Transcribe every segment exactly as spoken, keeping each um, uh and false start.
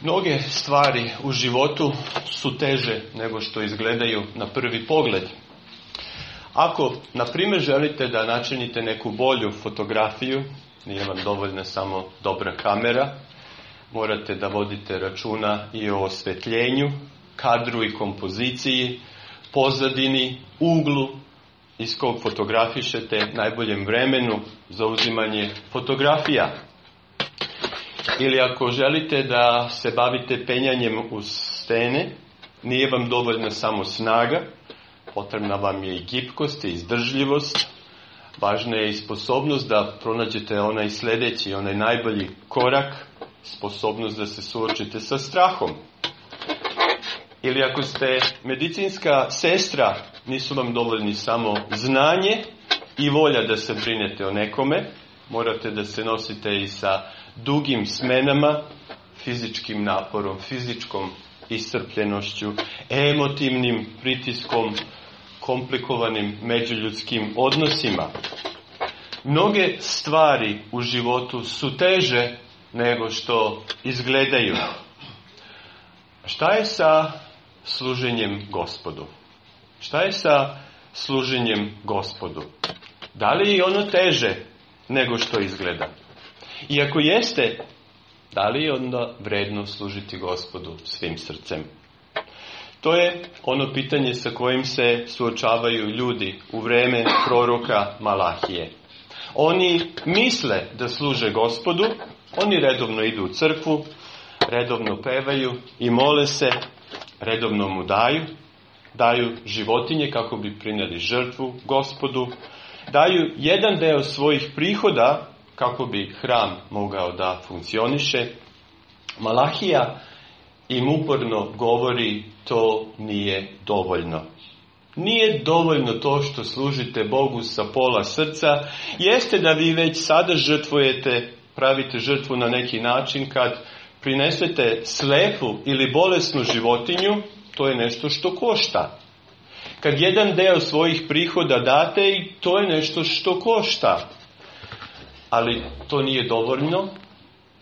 Mnoge stvari u životu su teže nego što izgledaju na prvi pogled. Ako, na primjer, želite da načinite neku bolju fotografiju, nije vam dovoljna samo dobra kamera, morate da vodite računa i o osvetljenju, kadru i kompoziciji, pozadini, uglu iz kog fotografišete, najboljem vremenu za uzimanje fotografija. Ili ako želite da se bavite penjanjem uz stene, nije vam dovoljna samo snaga, potrebna vam je i gibkost i izdržljivost, važna je i sposobnost da pronađete onaj sljedeći, onaj najbolji korak, sposobnost da se suočite sa strahom. Ili ako ste medicinska sestra, nisu vam dovoljni samo znanje i volja da se brinete o nekome, morate da se nosite i sa dugim smenama, fizičkim naporom, fizičkom iscrpljenošću, emotivnim pritiskom, komplikovanim međuljudskim odnosima. Mnoge stvari u životu su teže nego što izgledaju. Šta je sa služenjem Gospodu? Šta je sa služenjem Gospodu? Da li je ono teže nego što izgleda? I ako jeste, da li je onda vredno služiti Gospodu svim srcem? To je ono pitanje sa kojim se suočavaju ljudi u vreme proroka Malahije. Oni misle da služe Gospodu, oni redovno idu u crkvu, redovno pevaju i mole se, redovno mu daju, daju životinje kako bi prinijeli žrtvu Gospodu, daju jedan deo svojih prihoda kako bi hram mogao da funkcioniše. Malahija im uporno govori, to nije dovoljno. Nije dovoljno to što služite Bogu sa pola srca. Jeste da vi već sada žrtvujete, pravite žrtvu na neki način kad prinesete slepu ili bolesnu životinju, to je nešto što košta. Kad jedan deo svojih prihoda date, i to je nešto što košta. Ali to nije dovoljno,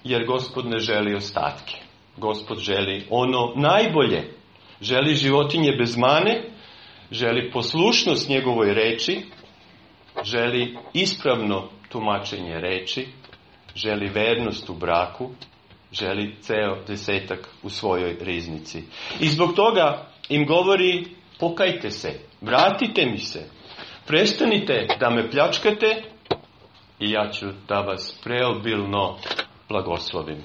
jer Gospod ne želi ostatke. Gospod želi ono najbolje. Želi životinje bez mane, želi poslušnost njegovoj reči, želi ispravno tumačenje reči, želi vernost u braku, želi ceo desetak u svojoj riznici. I zbog toga im govori, pokajte se, vratite mi se, prestanite da me pljačkate i ja ću da vas preobilno blagoslovim.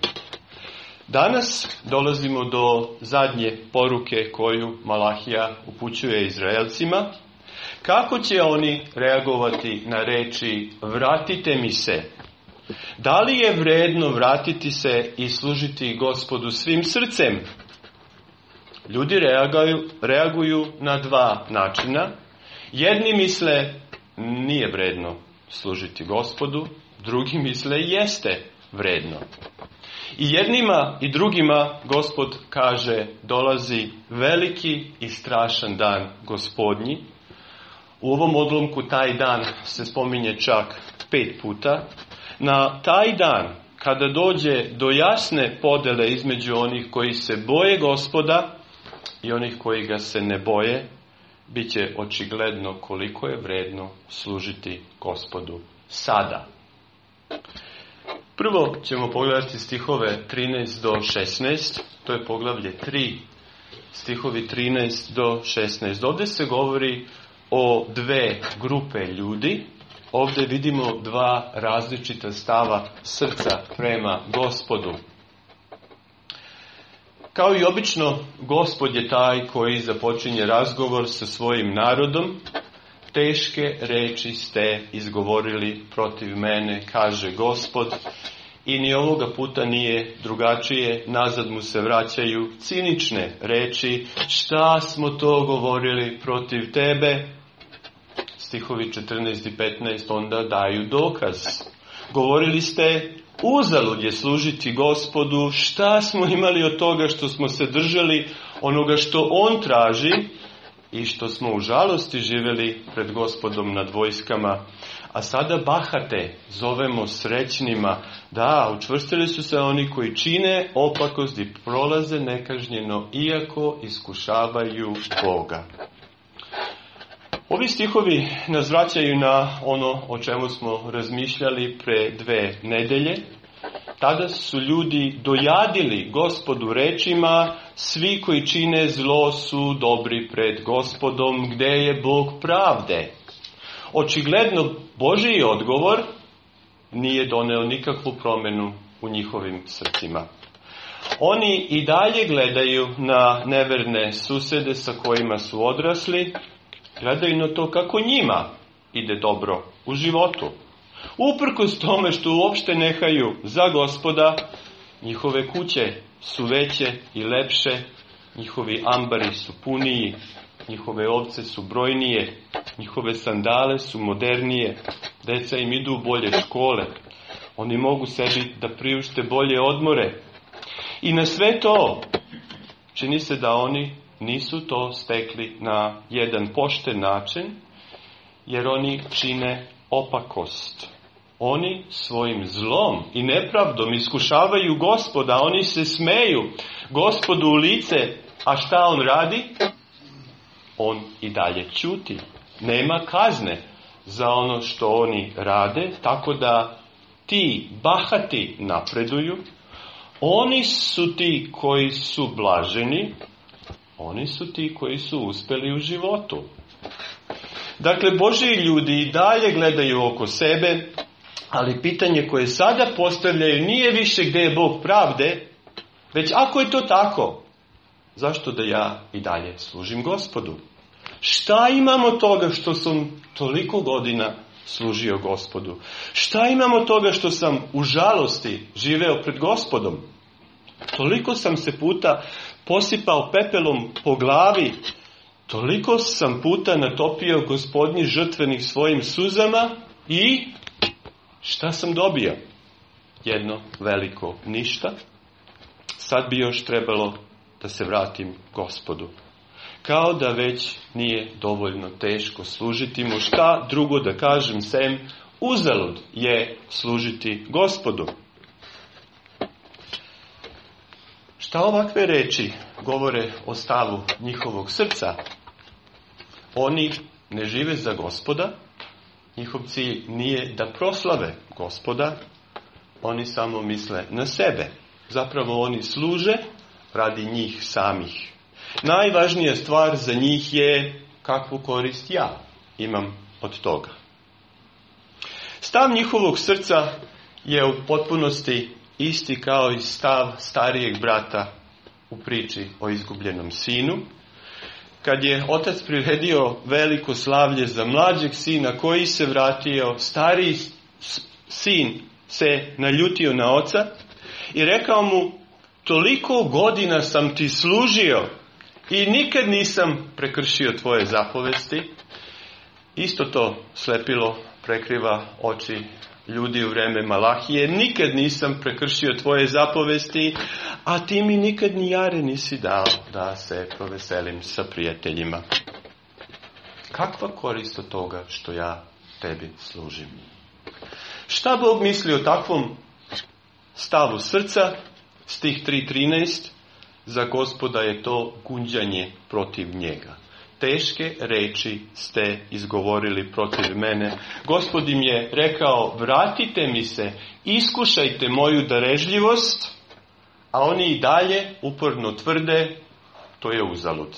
Danas dolazimo do zadnje poruke koju Malahija upućuje Izraelcima. Kako će oni reagovati na reči vratite mi se? Da li je vredno vratiti se i služiti Gospodu svim srcem? Ljudi reaguju, reaguju na dva načina. Jedni misle nije vredno služiti Gospodu, drugi misle jeste vredno. I jednima i drugima Gospod kaže dolazi veliki i strašan dan Gospodnji. U ovom odlomku taj dan se spominje čak pet puta. Na taj dan, kada dođe do jasne podele između onih koji se boje Gospoda i onih koji ga se ne boje, bit će očigledno koliko je vredno služiti Gospodu sada. Prvo ćemo pogledati stihove trinaest do šesnaest, to je poglavlje tri, stihovi trinaest do šesnaest. Ovdje se govori o dve grupe ljudi. Ovdje vidimo dva različita stava srca prema Gospodu. Kao i obično, Gospod je taj koji započinje razgovor sa svojim narodom. Teške reči ste izgovorili protiv mene, kaže Gospod. I ni ovoga puta nije drugačije, nazad mu se vraćaju cinične reči. Šta smo to govorili protiv tebe? Stihovi četrnaest i petnaest onda daju dokaz. Govorili ste, uzalud je služiti Gospodu, šta smo imali od toga što smo se držali onoga što on traži i što smo u žalosti živjeli pred Gospodom nad vojskama. A sada bahate zovemo srećnima. Da, učvrstili su se oni koji čine opakost i prolaze nekažnjeno, iako iskušavaju Boga. Ovi stihovi nas vraćaju na ono o čemu smo razmišljali pre dve nedelje. Tada su ljudi dojadili Gospodu rečima: svi koji čine zlo su dobri pred Gospodom, gde je Bog pravde. Očigledno Božji odgovor nije doneo nikakvu promjenu u njihovim srcima. Oni i dalje gledaju na neverne susede sa kojima su odrasli, gledaju na to kako njima ide dobro u životu. Uprkos tome što uopšte nehaju za Gospoda, njihove kuće su veće i lepše, njihovi ambari su puniji, njihove ovce su brojnije, njihove sandale su modernije, deca im idu u bolje škole, oni mogu sebi da priušte bolje odmore. I na sve to čini se da oni nisu to stekli na jedan pošten način, jer oni čine opakost. Oni svojim zlom i nepravdom iskušavaju Gospoda, oni se smeju Gospodu u lice, a šta on radi? On i dalje ćuti. Nema kazne za ono što oni rade, tako da ti bahati napreduju. Oni su ti koji su blaženi, oni su ti koji su uspeli u životu. Dakle, Božji ljudi i dalje gledaju oko sebe, ali pitanje koje sada postavljaju nije više gdje je Bog pravde, već ako je to tako, zašto da ja i dalje služim Gospodu? Šta imamo toga što sam toliko godina služio Gospodu? Šta imamo toga što sam u žalosti živeo pred Gospodom? Toliko sam se puta posipao pepelom po glavi, toliko sam puta natopio Gospodnji žrtvenih svojim suzama i šta sam dobio? Jedno veliko ništa. Sad bi još trebalo da se vratim Gospodu. Kao da već nije dovoljno teško služiti mu. Šta drugo da kažem sem uzalud je služiti Gospodu. Šta ovakve reči govore o stavu njihovog srca? Oni ne žive za Gospoda, njihov cilj nije da proslave Gospoda, oni samo misle na sebe. Zapravo oni služe radi njih samih. Najvažnija stvar za njih je kakvu korist ja imam od toga. Stav njihovog srca je u potpunosti isti kao i stav starijeg brata u priči o izgubljenom sinu. Kad je otac priredio veliko slavlje za mlađeg sina koji se vratio, stariji sin se naljutio na oca i rekao mu: toliko godina sam ti služio i nikad nisam prekršio tvoje zapovesti. Isto to slepilo prekriva oči ljudi u vreme Malahije. Nikad nisam prekršio tvoje zapovesti, a ti mi nikad ni jare nisi dao da se proveselim sa prijateljima. Kakva korist od toga što ja tebi služim? Šta Bog misli o takvom stavu srca? Stih tri trinaest. Za Gospoda je to gunđanje protiv njega. Teške reči ste izgovorili protiv mene. Gospod im je rekao: vratite mi se, iskušajte moju darežljivost, a oni i dalje uporno tvrde: to je uzalud.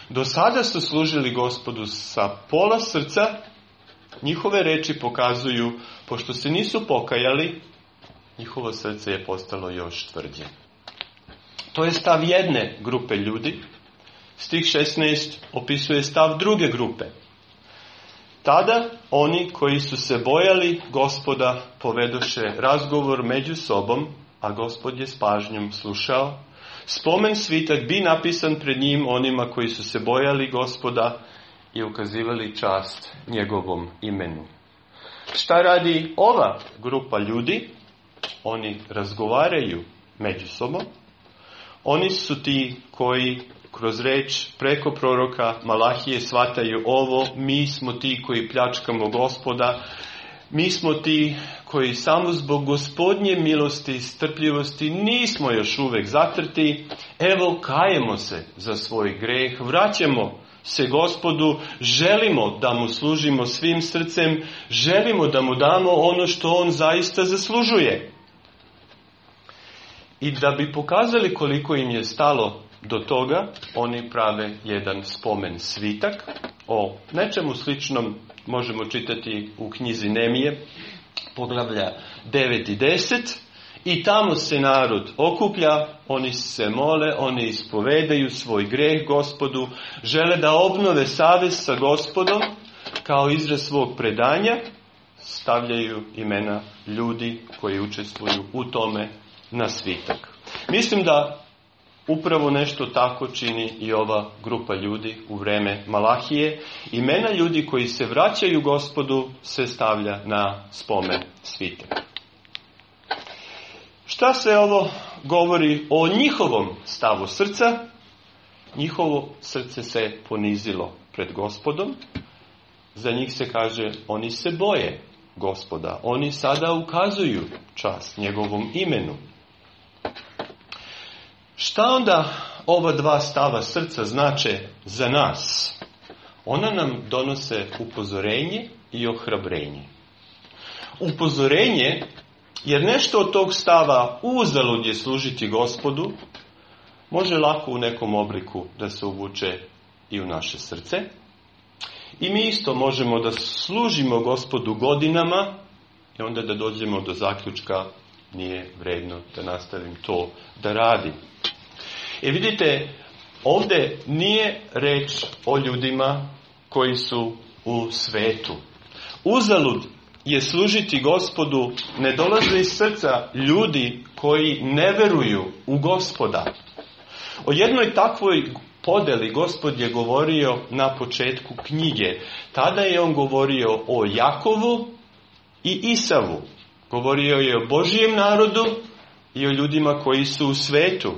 Do sada su služili Gospodu sa pola srca, njihove reči pokazuju, pošto se nisu pokajali, njihovo srce je postalo još tvrđe. To je stav jedne grupe ljudi. Stih šesnaest opisuje stav druge grupe. Tada oni koji su se bojali Gospoda povedoše razgovor među sobom, a Gospod je s pažnjom slušao. Spomen svitak bi napisan pred njim onima koji su se bojali Gospoda i ukazivali čast njegovom imenu. Šta radi ova grupa ljudi? Oni razgovaraju među sobom. Oni su ti koji kroz reč preko proroka Malahije shvataju ovo, mi smo ti koji pljačkamo Gospoda, mi smo ti koji samo zbog Gospodnje milosti i strpljivosti nismo još uvijek zatrti. Evo, kajemo se za svoj greh, vraćamo se Gospodu, želimo da mu služimo svim srcem, želimo da mu damo ono što on zaista zaslužuje. I da bi pokazali koliko im je stalo do toga, oni prave jedan spomen svitak. O nečemu sličnom možemo čitati u knjizi Nemije, poglavlja devet i deset. I tamo se narod okuplja, oni se mole, oni ispovedaju svoj greh Gospodu, žele da obnove savez sa Gospodom, kao izraz svog predanja, stavljaju imena ljudi koji učestvuju u tome na svitak. Mislim da upravo nešto tako čini i ova grupa ljudi u vreme Malahije. Imena ljudi koji se vraćaju Gospodu se stavlja na spomen svitak. Šta se ovo govori o njihovom stavu srca? Njihovo srce se ponizilo pred Gospodom. Za njih se kaže, oni se boje Gospoda. Oni sada ukazuju čast njegovom imenu. Šta onda ova dva stava srca znače za nas? Ona nam donose upozorenje i ohrabrenje. Upozorenje, jer nešto od tog stava uzalud je služiti Gospodu, može lako u nekom obliku da se uvuče i u naše srce. I mi isto možemo da služimo Gospodu godinama i onda da dođemo do zaključka, nije vredno da nastavim to da radim. I vidite, ovdje nije reč o ljudima koji su u svetu. Uzalud je služiti Gospodu ne dolaze iz srca ljudi koji ne veruju u Gospoda. O jednoj takvoj podeli Gospod je govorio na početku knjige. Tada je on govorio o Jakovu i Isavu. Govorio je o Božijem narodu i o ljudima koji su u svetu.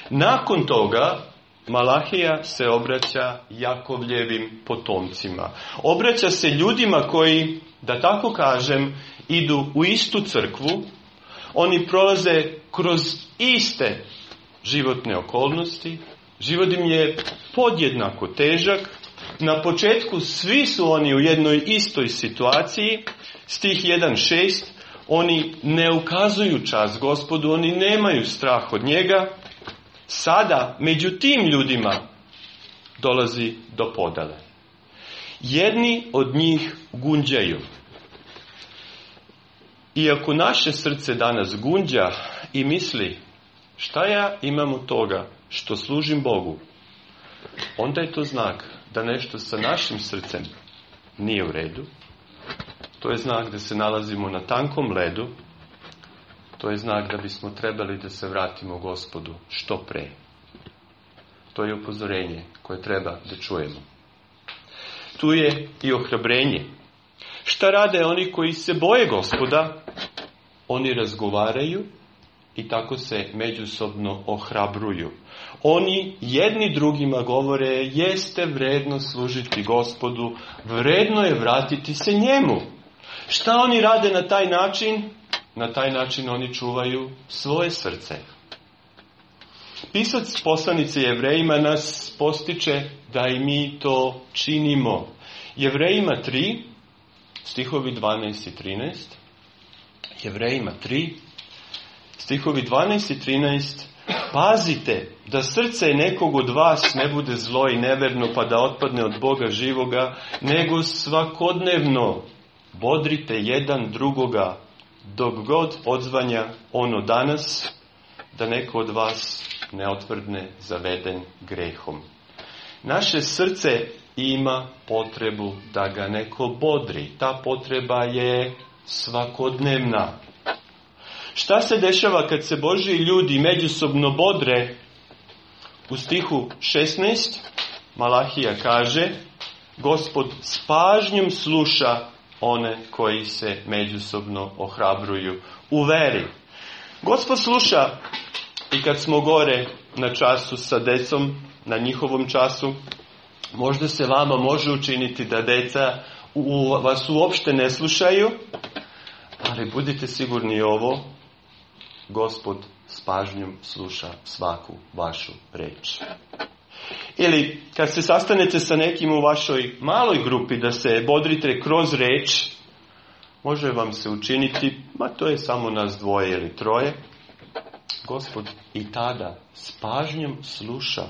Nakon toga Malahija se obraća Jakovljevim potomcima. Obraća se ljudima koji, da tako kažem, idu u istu crkvu. Oni prolaze kroz iste životne okolnosti. Život im je podjednako težak. Na početku svi su oni u jednoj istoj situaciji. Stih jedan šest. Oni ne ukazuju čast Gospodu, oni nemaju strah od njega. Sada, među tim ljudima, dolazi do podele. Jedni od njih gunđaju. Iako naše srce danas gunđa i misli, šta ja imam od toga što služim Bogu, onda je to znak da nešto sa našim srcem nije u redu. To je znak da se nalazimo na tankom ledu. To je znak da bismo trebali da se vratimo Gospodu što pre. To je upozorenje koje treba da čujemo. Tu je i ohrabrenje. Šta rade oni koji se boje Gospoda? Oni razgovaraju i tako se međusobno ohrabruju. Oni jedni drugima govore, jeste vredno služiti Gospodu, vredno je vratiti se njemu. Šta oni rade na taj način? Na taj način oni čuvaju svoje srce. Pisac poslanice Jevrejima nas postiče da i mi to činimo. Jevrejima tri, stihovi dvanaest i trinaest. Jevrejima tri, stihovi dvanaest i trinaest. Pazite da srce nekog od vas ne bude zlo i neverno pa da otpadne od Boga živoga, nego svakodnevno bodrite jedan drugoga dok god odzvanja ono danas, da neko od vas ne otvrdne zaveden grehom. Naše srce ima potrebu da ga neko bodri. Ta potreba je svakodnevna. Šta se dešava kad se Božji ljudi međusobno bodre? U stihu šesnaest Malahija kaže, Gospod s pažnjom sluša one koji se međusobno ohrabruju u veri. Gospod sluša i kad smo gore na času sa decom, na njihovom času, možda se vama može učiniti da deca u, vas uopšte ne slušaju, ali budite sigurni ovo, Gospod s pažnjom sluša svaku vašu reč. Ili kad se sastanete sa nekim u vašoj maloj grupi da se bodrite kroz reč, može vam se učiniti, ma to je samo nas dvoje ili troje, Gospod i tada s pažnjom sluša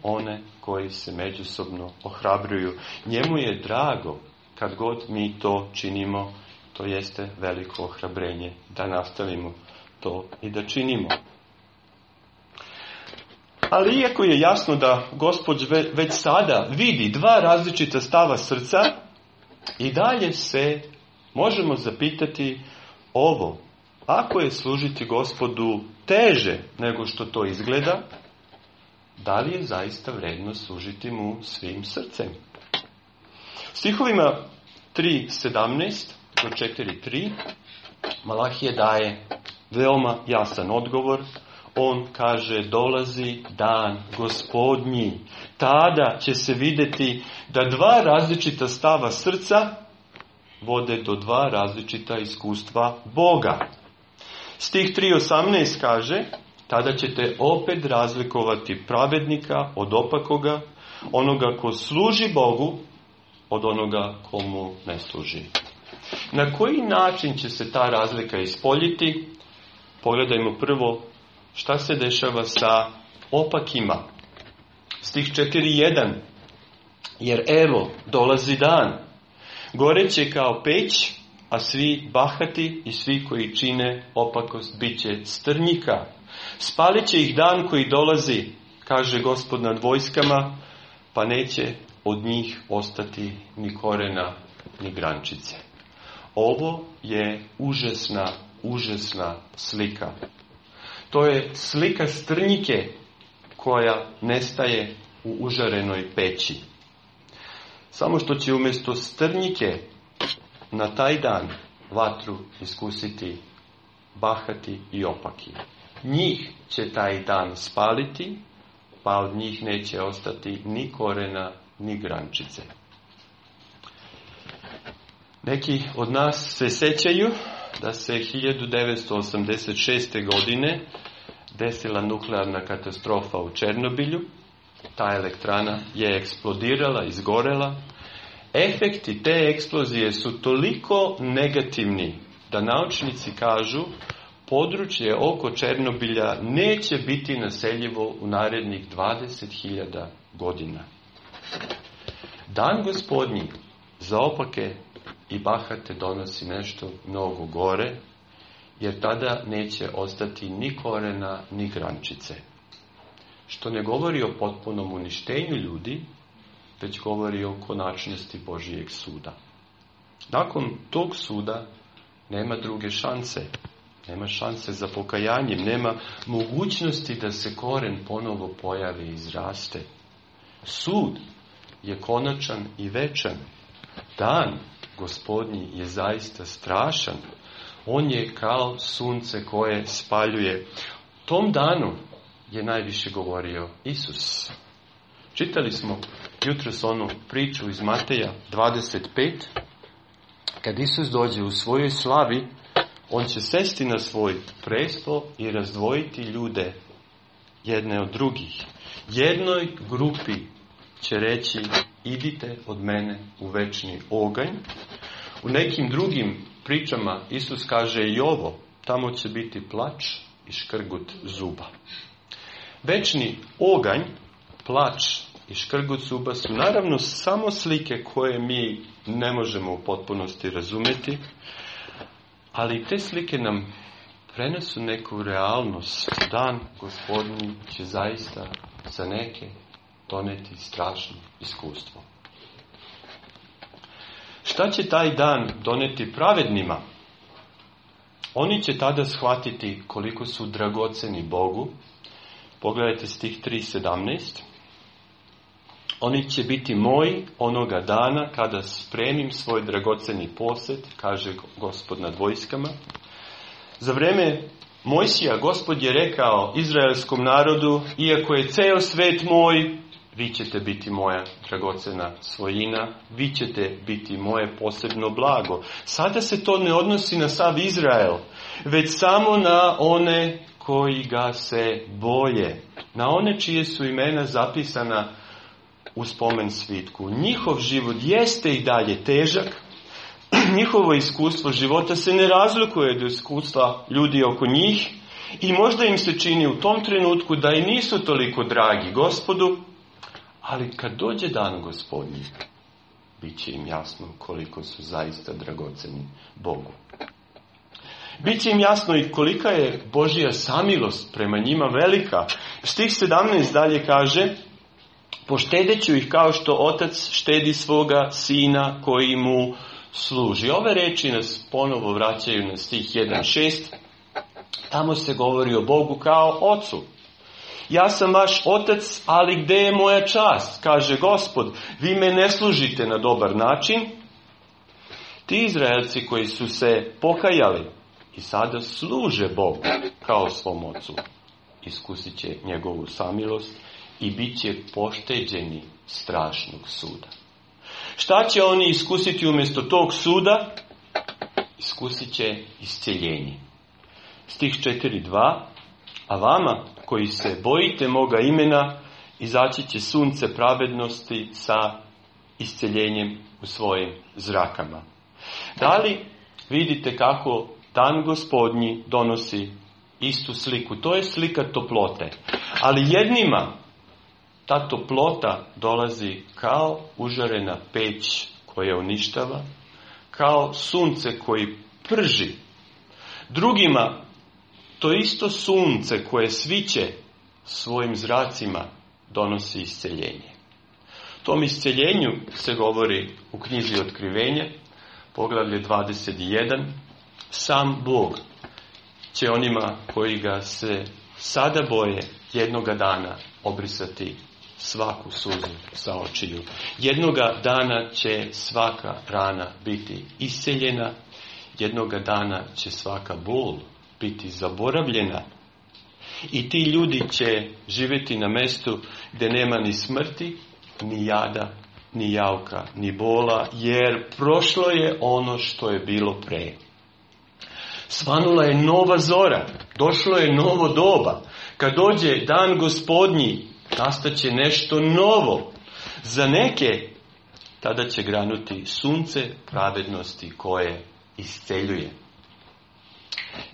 one koji se međusobno ohrabruju. Njemu je drago kad god mi to činimo, to jeste veliko ohrabrenje da nastavimo to i da činimo. Ali iako je jasno da Gospod već sada vidi dva različita stava srca, i dalje se možemo zapitati ovo. Ako je služiti Gospodu teže nego što to izgleda, da li je zaista vredno služiti mu svim srcem? Stihovima tri sedamnaest do četiri tri Malahije daje veoma jasan odgovor. On kaže, dolazi dan Gospodnji. Tada će se vidjeti da dva različita stava srca vode do dva različita iskustva Boga. Stih tri osamnaest kaže, tada ćete opet razlikovati pravednika od opakoga, onoga ko služi Bogu od onoga komu ne služi. Na koji način će se ta razlika ispoljiti? Pogledajmo prvo šta se dešava sa opakima. Stih četiri jedan. Jer evo, dolazi dan. Goreće kao peć, a svi bahati i svi koji čine opakost bit će strnjika. Spalit će ih dan koji dolazi, kaže Gospod nad vojskama, pa neće od njih ostati ni korena, ni grančice. Ovo je užasna, užasna slika. To je slika strnjike koja nestaje u užarenoj peći. Samo što će umjesto strnjike na taj dan vatru iskusiti bahati i opaki. Njih će taj dan spaliti, pa od njih neće ostati ni korena, ni grančice. Neki od nas se sećaju da se hiljadu devetsto osamdeset šeste. godine desila nuklearna katastrofa u Černobilju. Ta elektrana je eksplodirala, izgorela. Efekti te eksplozije su toliko negativni da naučnici kažu područje oko Černobilja neće biti naseljivo u narednih dvadeset hiljada godina. Dan Gospodnji za opake i bahate donosi nešto mnogo gore, jer tada neće ostati ni korena, ni grančice. Što ne govori o potpunom uništenju ljudi, već govori o konačnosti Božijeg suda. Nakon tog suda nema druge šanse. Nema šanse za pokajanjem, nema mogućnosti da se koren ponovo pojavi i izraste. Sud je konačan i večan. Dan Gospodnji je zaista strašan. On je kao sunce koje spaljuje. Tom danu je najviše govorio Isus. Čitali smo jutros onu priču iz Mateja dvadeset pet. Kad Isus dođe u svojoj slavi, on će sesti na svoj presto i razdvojiti ljude jedne od drugih. Jednoj grupi će reći, idite od mene u večni oganj. U nekim drugim pričama Isus kaže i ovo, tamo će biti plač i škrgut zuba. Večni oganj, plač i škrgut zuba su naravno samo slike koje mi ne možemo u potpunosti razumjeti, ali te slike nam prenesu neku realnost. Dan Gospodnji će zaista za neke doneti strašno iskustvo. Šta će taj dan doneti pravednima? Oni će tada shvatiti koliko su dragoceni Bogu. Pogledajte stih tri sedamnaest. Oni će biti moji onoga dana kada spremim svoj dragoceni posjed, kaže Gospod nad vojskama. Za vreme Mojsija, Gospod je rekao izraelskom narodu, iako je ceo svet moj, vi ćete biti moja dragocena svojina, vi ćete biti moje posebno blago. Sada se to ne odnosi na sav Izrael, već samo na one koji ga se boje, na one čije su imena zapisana u spomen svitku. Njihov život jeste i dalje težak, njihovo iskustvo života se ne razlikuje od iskustva ljudi oko njih i možda im se čini u tom trenutku da i nisu toliko dragi Gospodu, ali kad dođe dan Gospodnji, bit će im jasno koliko su zaista dragoceni Bogu. Biće im jasno i kolika je Božja samilost prema njima velika. Stih sedamnaest dalje kaže: poštedeću ih kao što otac štedi svoga sina koji mu služi. Ove reči nas ponovo vraćaju na stih jedan šest. Tamo se govori o Bogu kao ocu. Ja sam vaš otac, ali gde je moja čast? Kaže Gospod, vi me ne služite na dobar način. Ti Izraelci koji su se pokajali i sada služe Bogu kao svom ocu, iskusit će njegovu samilost i bit će pošteđeni strašnog suda. Šta će oni iskusiti umjesto tog suda? Iskusit će isceljenje. Stih četiri dva. A vama koji se bojite moga imena, izaći će sunce pravednosti sa isceljenjem u svojim zrakama. Da li vidite kako dan Gospodnji donosi istu sliku? To je slika toplote. Ali jednima ta toplota dolazi kao užarena peć koja uništava, kao sunce koji prži. Drugima to isto sunce koje sviće svojim zracima donosi isceljenje. Tom isceljenju se govori u knjizi Otkrivenja, poglavlje dvadeset jedan. Sam Bog će onima koji ga se sada boje jednoga dana obrisati svaku suzu sa očiju. Jednoga dana će svaka rana biti isceljena, jednoga dana će svaka bol biti zaboravljena i ti ljudi će živjeti na mjestu gdje nema ni smrti, ni jada, ni jauka, ni bola, jer prošlo je ono što je bilo pre. Svanula je nova zora, došlo je novo doba. Kad dođe dan Gospodnji, nastaće nešto novo. Za neke tada će granuti sunce pravednosti koje isceljuje.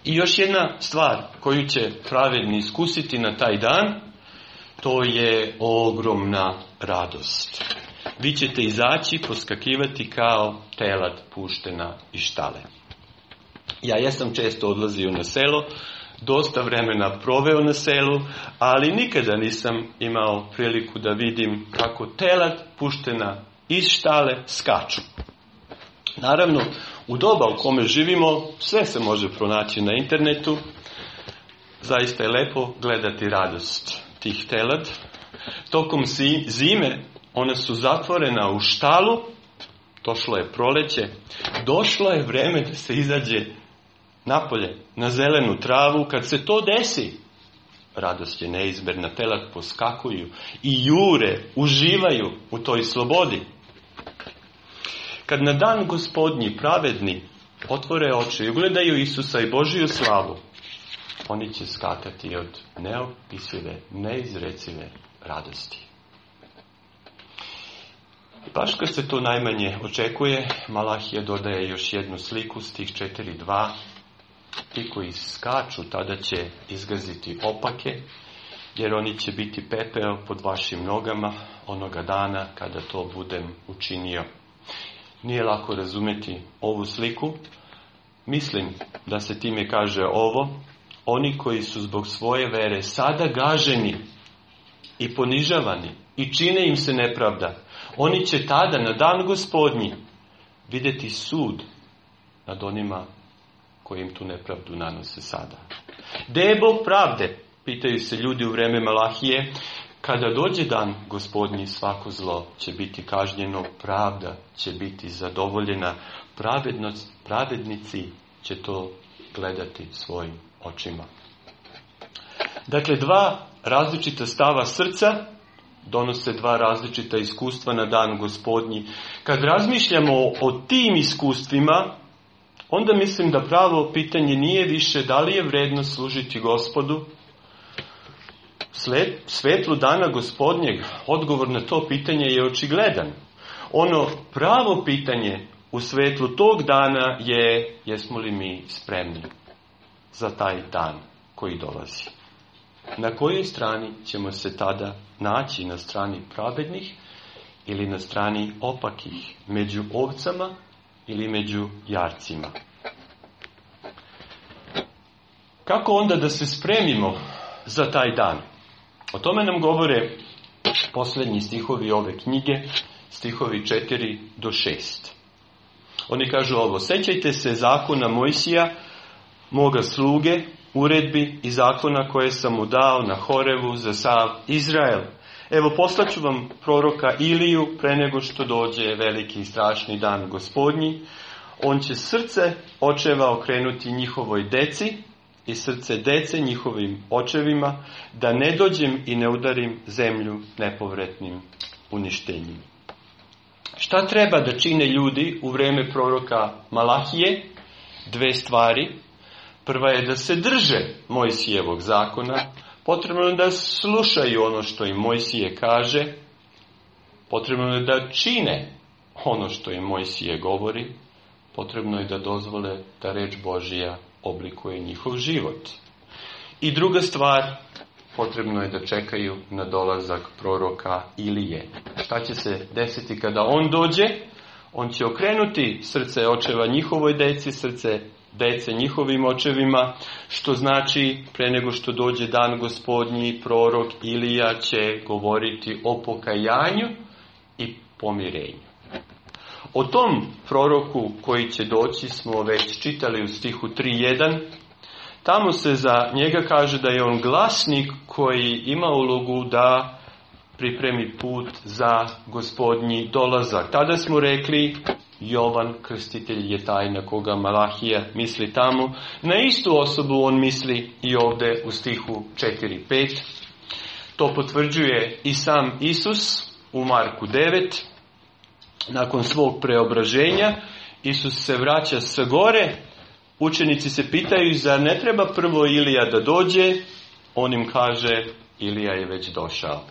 I još jedna stvar koju će pravedni iskusiti na taj dan, to je ogromna radost. Vi ćete izaći, poskakivati kao telad puštena iz štale. Ja jesam često odlazio na selo, dosta vremena proveo na selu, ali nikada nisam imao priliku da vidim kako telad puštena iz štale skaču. Naravno, u doba u kome živimo, sve se može pronaći na internetu. Zaista je lepo gledati radost tih telad. Tokom zime ona su zatvorena u štalu, došlo je proleće, došlo je vreme da se izađe napolje, na zelenu travu. Kad se to desi, radost je neizmjerna, telad poskakuju i jure, uživaju u toj slobodi. Kad na dan Gospodnji pravedni otvore oči i ugledaju Isusa i Božiju slavu, oni će skakati od neopisive, neizrecive radosti. Baš kad se to najmanje očekuje, Malahija dodaje još jednu sliku, stih četiri dva. Ti koji skaču tada će izgaziti opake, jer oni će biti pepeo pod vašim nogama onoga dana kada to budem učinio. Nije lako razumjeti ovu sliku. Mislim da se time kaže ovo: oni koji su zbog svoje vere sada gaženi i ponižavani i čine im se nepravda, oni će tada na dan Gospodnji vidjeti sud nad onima koji im tu nepravdu nanose sada. Gde je Bog pravde? Pitaju se ljudi u vreme Malahije. Kada dođe dan Gospodnji, svako zlo će biti kažnjeno, pravda će biti zadovoljena, pravednost, pravednici će to gledati svojim očima. Dakle, dva različita stava srca donose dva različita iskustva na dan Gospodnji. Kad razmišljamo o tim iskustvima, onda mislim da pravo pitanje nije više da li je vredno služiti Gospodu. Svetlu dana Gospodnjeg, odgovor na to pitanje je očigledan. Ono pravo pitanje u svetlu tog dana je: jesmo li mi spremni za taj dan koji dolazi? Na kojoj strani ćemo se tada naći? Na strani pravednih ili na strani opakih? Među ovcama ili među jarcima? Kako onda da se spremimo za taj dan? O tome nam govore posljednji stihovi ove knjige, stihovi četiri do šest. Oni kažu ovo: sećajte se zakona Mojsija, moga sluge, uredbi i zakona koje sam mu dao na Horevu za sav Izrael. Evo, poslaću vam proroka Iliju pre nego što dođe veliki i strašni dan Gospodnji. On će srce očeva okrenuti njihovoj deci i srce dece njihovim očevima, da ne dođem i ne udarim zemlju nepovratnim uništenjem. Šta treba da čine ljudi u vreme proroka Malahije? Dve stvari. Prva je da se drže Mojsijevog zakona. Potrebno je da slušaju ono što im Mojsije kaže. Potrebno je da čine ono što im Mojsije govori. Potrebno je da dozvole da reč Božija oblikuje njihov život. I druga stvar, potrebno je da čekaju na dolazak proroka Ilije. Šta će se desiti kada on dođe? On će okrenuti srce očeva njihovoj deci, srce dece njihovim očevima, što znači pre nego što dođe dan Gospodnji, prorok Ilija će govoriti o pokajanju i pomirenju. O tom proroku koji će doći smo već čitali u stihu tri jedan. Tamo se za njega kaže da je on glasnik koji ima ulogu da pripremi put za Gospodnji dolazak. Tada smo rekli: Jovan Krstitelj je taj na koga Malahija misli tamo. Na istu osobu on misli i ovdje u stihu četiri pet. To potvrđuje i sam Isus u Marku devet. Nakon svog preobraženja Isus se vraća sa gore. Učenici se pitaju: zar ne treba prvo Ilija da dođe? On im kaže: Ilija je već došao.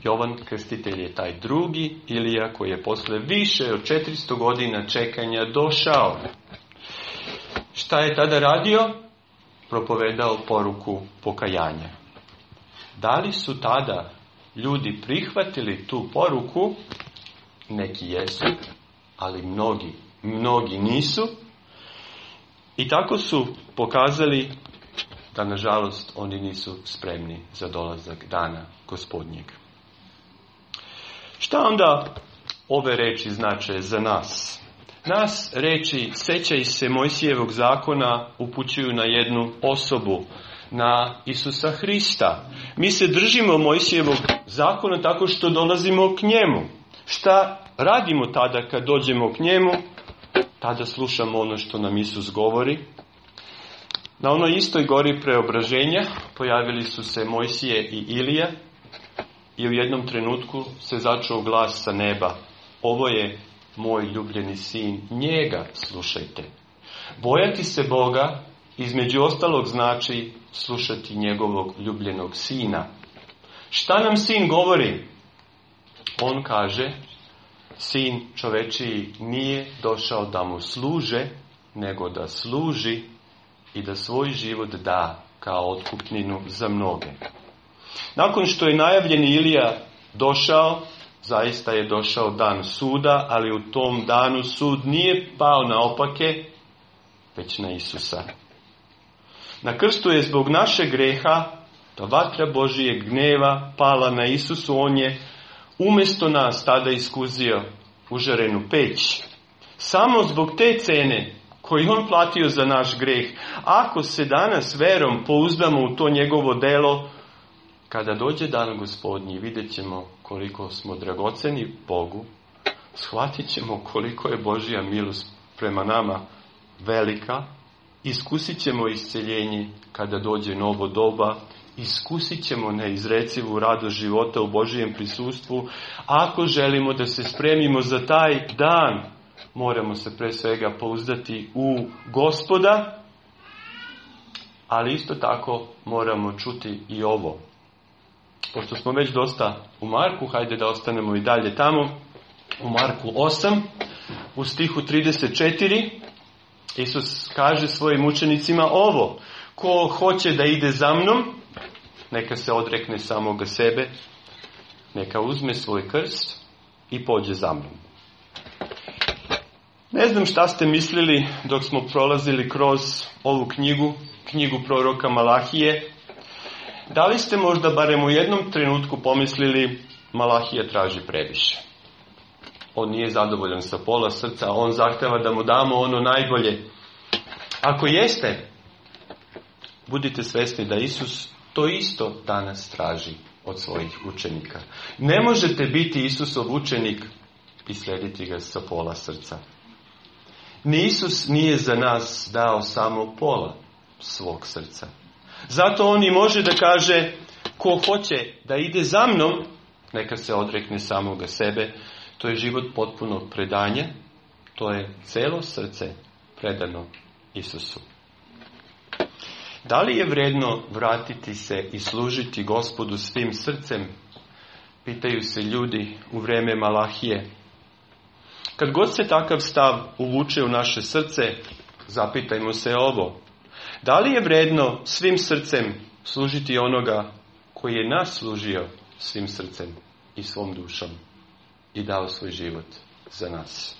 Jovan Krstitelj je taj drugi Ilija koji je posle više od četiristo godina čekanja došao. Šta je tada radio? Propovedao poruku pokajanja. Da li su tada ljudi prihvatili tu poruku? Neki jesu, ali mnogi, mnogi nisu. I tako su pokazali da, nažalost, oni nisu spremni za dolazak dana Gospodnjeg. Šta onda ove reči znače za nas? Nas reči sećaj se Mojsijevog zakona upućuju na jednu osobu, na Isusa Hrista. Mi se držimo Mojsijevog zakona tako što dolazimo k njemu. Šta radimo tada kad dođemo k njemu? Tada slušamo ono što nam Isus govori. Na onoj istoj gori preobraženja pojavili su se Mojsije i Ilija i u jednom trenutku se začuo glas sa neba: ovo je moj ljubljeni sin, njega slušajte. Bojati se Boga između ostalog znači slušati njegovog ljubljenog sina. Šta nam sin govori? On kaže: sin čovečiji nije došao da mu služe, nego da služi i da svoj život da kao otkupninu za mnoge. Nakon što je najavljeni Ilija došao, zaista je došao dan suda, ali u tom danu sud nije pao na opake, već na Isusa. Na krstu je zbog našeg greha ta vatra Božijeg gneva pala na Isusu. On je umjesto nas tada iskuzio užarenu peć. Samo zbog te cene koju on platio za naš greh. Ako se danas verom pouzdamo u to njegovo delo, kada dođe dan Gospodnji, vidjet ćemo koliko smo dragoceni Bogu, shvatit ćemo koliko je Božja milost prema nama velika, iskusit ćemo isceljenje kada dođe novo doba iskusit ćemo neizrecivu radost života u Božijem prisustvu. Ako želimo da se spremimo za taj dan, moramo se pre svega pouzdati u Gospoda, ali isto tako moramo čuti i ovo. Pošto smo već dosta u Marku, hajde da ostanemo i dalje tamo. U Marku osam, u stihu trideset četiri, Isus kaže svojim učenicima ovo: ko hoće da ide za mnom, neka se odrekne samoga sebe, neka uzme svoj krst i pođe za mnom. Ne znam šta ste mislili dok smo prolazili kroz ovu knjigu, knjigu proroka Malahije. Da li ste možda barem u jednom trenutku pomislili Malahija traži previše? On nije zadovoljan sa pola srca, on zahteva da mu damo ono najbolje. Ako jeste, budite svesni da Isus to isto danas traži od svojih učenika. Ne možete biti Isusov učenik i slijediti ga sa pola srca. Ni Isus nije za nas dao samo pola svog srca. Zato on i može da kaže: ko hoće da ide za mnom, neka se odrekne samoga sebe. To je život potpunog predanja. To je celo srce predano Isusu. Da li je vredno vratiti se i služiti Gospodu svim srcem? Pitaju se ljudi u vreme Malahije. Kad god se takav stav uvuče u naše srce, zapitajmo se ovo: da li je vredno svim srcem služiti onoga koji je nas služio svim srcem i svom dušom i dao svoj život za nas?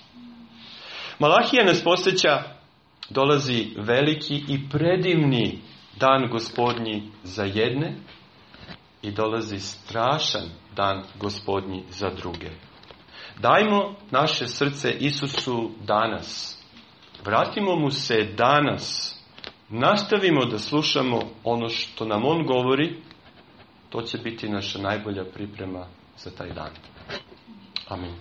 Malahija nas podsjeća: dolazi veliki i predivni dan Gospodnji za jedne i dolazi strašan dan Gospodnji za druge. Dajmo naše srce Isusu danas. Vratimo mu se danas. Nastavimo da slušamo ono što nam on govori. To će biti naša najbolja priprema za taj dan. Amin.